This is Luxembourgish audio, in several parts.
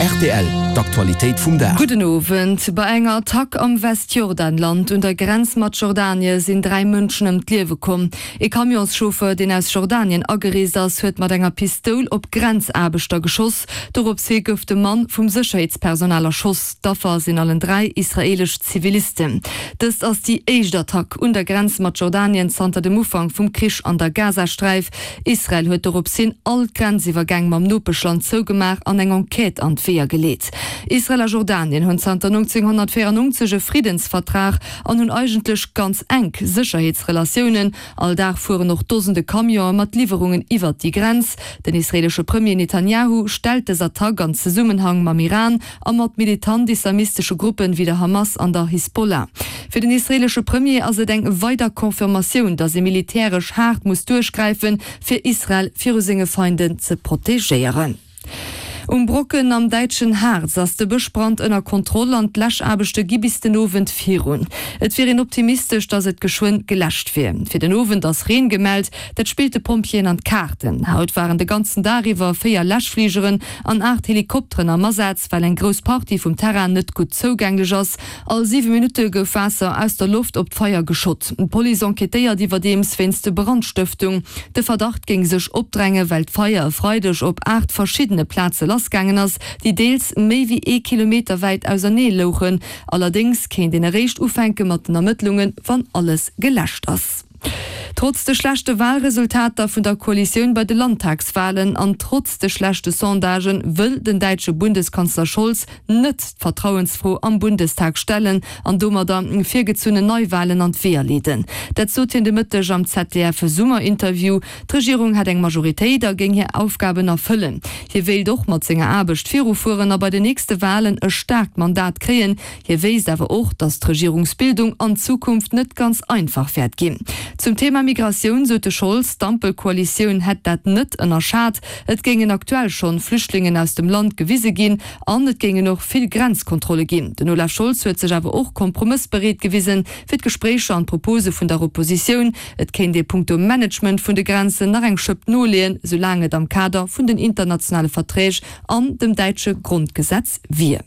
Rtl, D'Aktualitéit vum Dag. Gudden Owend. Bei enger Attack am Westjordanland un der Grenz mat Jordanie sinn 3 Mënschen ëm d'Liewe komm. Ee Camionschauffer, deen aus Jordanien agereest ass, huet mat enger Pistoul op Grenzaarbechter geschoss. Dorops hi gouf de Mann vum Sécherheetspersonal erschoss. D'Affer sinn allen 3 israeelesch Zivilisten. Dëst ass déi éischt Attack un der Grenz mat Jordanien zanter dem Ufank vum Krich an der Gazasträif. Israel huet dorops hin all d'Grenziwwergäng mam Nopeschland zougemaach an eng Enquête an d'Weeër geleet. Israel a Jordanien hunn zanter 1994 e Friddensvertrag an hunn eigentlech ganz enk Sécherheetsrelatiounen. All Dag fueren och Dosende Camionë mat Liwwerungen iwwert déi Grenz. Den israeelesche Premier Netanjahu stellt dës Attack an Zesummenhang mam Iran a mat militant-islamistesche Gruppen wéi der Hamas an der Hisbollah. Fir den israeelesche Premier ass et eng weider Confirmatioun, datt ee militäresch haart muss duerchgräifen, fir Israel viru senge Feinden ze protegéieren. Um Brocken am däitschen Harz ass de Bëschbrand ënner Kontroll an d'Läschaarbechte gi bis den Owend virun. Et wier een optimistesch, datt et geschwënn geläscht wier. Fir den Owend ass Reen gemellt, dat spillt de Pompjeeën an d'Kaarten. Haut waren de ganzen Dag iwwer 4 Läschfligeren an 8 Helikopteren am Asaz, well eng grouss Partie vum Terrain net gutt zougänglech ass. All 7 Minutte gouf Waasser aus der Loft op d'Feier geschott. D'Police enquêtéiert iwwerdeems wéinst Brandstëftung. De Verdacht géing sech opdrängen, well d'Feier e Freideg op 8 verschiddene Plaze lassgaangen ass, déi deels méi wéi ee Kilometer wäit ausernee louchen. Allerdéngs kéint een eréischt ufänke mat den Ermëttlungen, wann alles geläscht ass. Trotz de schlechte Walresultater vun der Koalitioun bei de Landtagswalen an trotz de schlechte Sondagen wëll den däitsche Bundeskanzler Scholz net d'Vertrauensfro am Bundestag stellen an domadder virgezunnen Neiwalen an d'Weeër leeden. Dat sot hien de Mëtteg am ZDF-Summerinterview. D'Regierung hätt eng Majoritéit a géing hir Aufgaben erfëllen. Hie wéilt och mat senger Aarbecht virufueren a bei den nächste Walen e staarkt Mandat kréien. Hie wéisst awer och, datt d'Regierungsbildung an Zukunft net ganz einfach wäert ginn. Zum Thema Migratioun sot de Scholz, d'Ampelkoalitioun hätt dat net ënnerschat. Et géingen aktuell schonn Flüchtlingen aus dem Land gewise ginn an et géingen och vill Grenzkontrolle ginn. Den Olaf Scholz huet sech awer och kompromëssbereet gewisen, fir d'Gespréicher an d'Propose vun der Oppositioun. Et kéint ee punkto Management vun de Grenzen nach eng Schëpp noleeën, soulaang et am Kader vun den internationale Verträg an dem däitsche Grondgesetz wier.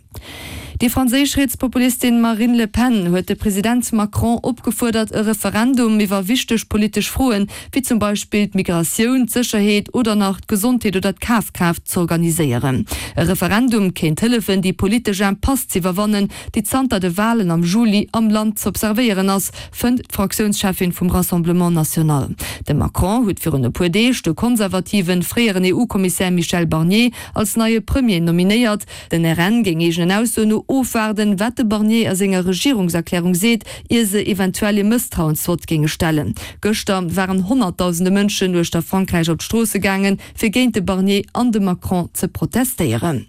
Déi franséisch Rietspopulistin Marine Le Pen huet de President Macron opgefuerdert, e Referendum iwwer wichteg politesch Froen, wéi zum Beispill d'Migratioun, d'Sécherheet oder nach d'Gesondheet oder d'Kafkraaft, z'organiséieren. E Referendum kéint hëllefen, déi politesch Impasse z'iwwerwannen, déi zanter de Walen am Juli am Land z'observéieren ass, fënnt d'Fraktiounscheffin vum Rassemblement National. De Macron huet virun e puer Deeg de konservativen fréieren EU-Kommissär Michel Barnier als neie Premier nominéiert. Den RN géing eegenen Aussoen no ofwaarden, wat de Barnier a senger Regierungserklärung seet, ier se eventuell ee Mësstrauensvott géinge stellen. Gëschter waren honnertdausende Mënschen uechter Frankräich op d'Stroosse gaangen, fir géint de Barnier an de Macron ze protestéieren.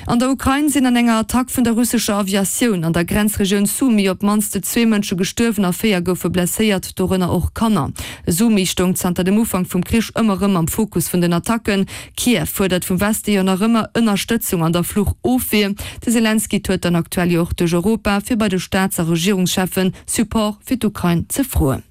An der Ukrain sinn an enger Attack vun der russescher Aviatioun an der Grenzregioun Sumy op d'mannst zwee Mënsche gestuerwen a 4 goufe blesséiert, dorënner och Kanner. Sumy stoung zanter dem Ufank vum Krich ëmmer rëm am Fokus vun den Attacken. Kiew fuerdert vum Weste jo nach ëmmer Ënnerstëtzung an der Fluchofwier. De Selenskyj tourt dann aktuell jo och duerch Europa, fir bei de Staats a Regierungscheffen Support fir d'Ukrain ze froen.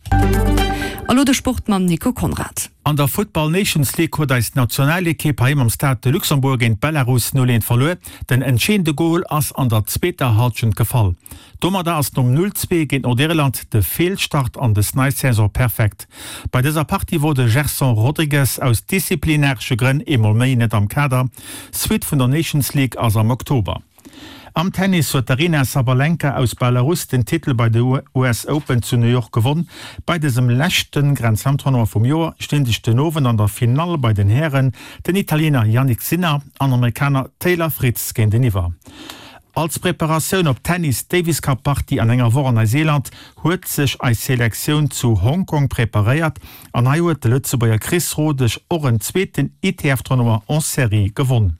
A lo de Sport mam Nico Conrad. An der Futtball Nations League huet eis Nationalekipp heiheem am Stade de Luxembourg géint Belarus 0, 1 verluer. Den entscheedende Gol ass an der zweeter Hallschent gefall. Domadder ass nom 0, 2 géint Nordirland de Feelstart an des nei Saison perfekt. Bei dëser Partie wor de Gerson Rodrigues aus disziplinaresche Grënn eemol méi net am Kader. Suite vun der Nations League ass am Oktober. Am Tennis huet d'Aryna Sabalenka aus Belarus den Titel bei de US Open zu New York gewonn. Bei dësem leschte Grand Slam Tournoi vum Joer stinn sech den Owend an der Finall bei den Hären den Italiener Jannik Sinner an Amerikaner Taylor Fritz géinteniwwer. Als Preparatioun op d'Tennis Davis Cup Partie an enger Woch an Neuseeland huet sech eis Selektioun zu Hong Kong preparéiert an hei huet de Lëtzebuerger Chris Rodesch och en zweeten ITF Tournoi en Série gewonn.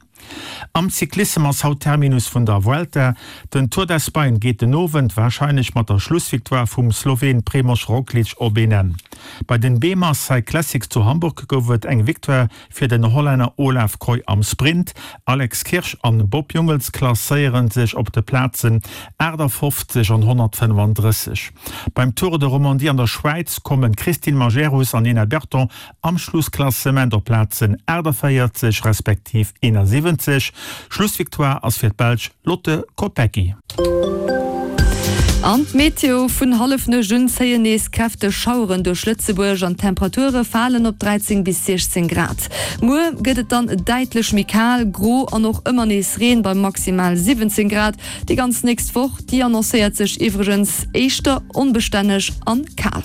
Am Cyclissem ass haut Terminus vun der Vuelta. Den Tour d'Espagne geet den Owend warscheinlech mat der Schlussvictoire vum Sloween Primož Roglič op een Enn. Bei den BEMA Cyclassics zu Hamburg gouf et eng Victoire Fir den Hollänner Olav Kooij am Sprint, Alex Kirsch an Bob Jungels klasséiere sech op de Plazen 58 an 135. Beim Tour de Romandie an der Schwäiz kommen d'Christine Majerus an Nina Berton am Schlussklassement op Plazen 48 respektiv 71. 1,71. Schlussvictoire ass fir d'Belsch Lotte Kopecky. An d'Meteo, Vun Hallefnuecht un zéien nees kräfteg Schaueren duerch Lëtzebuerg an d'Temperature falen op 13 bis 16 Grad. Muer gëtt et dann däitlech méi kal, gro an och ëmmer nees Reen bei maximal 17 Grad. Déi ganz nächst Woch, déi annoncéiert sech iwwregens éischter onbestänneg an kal.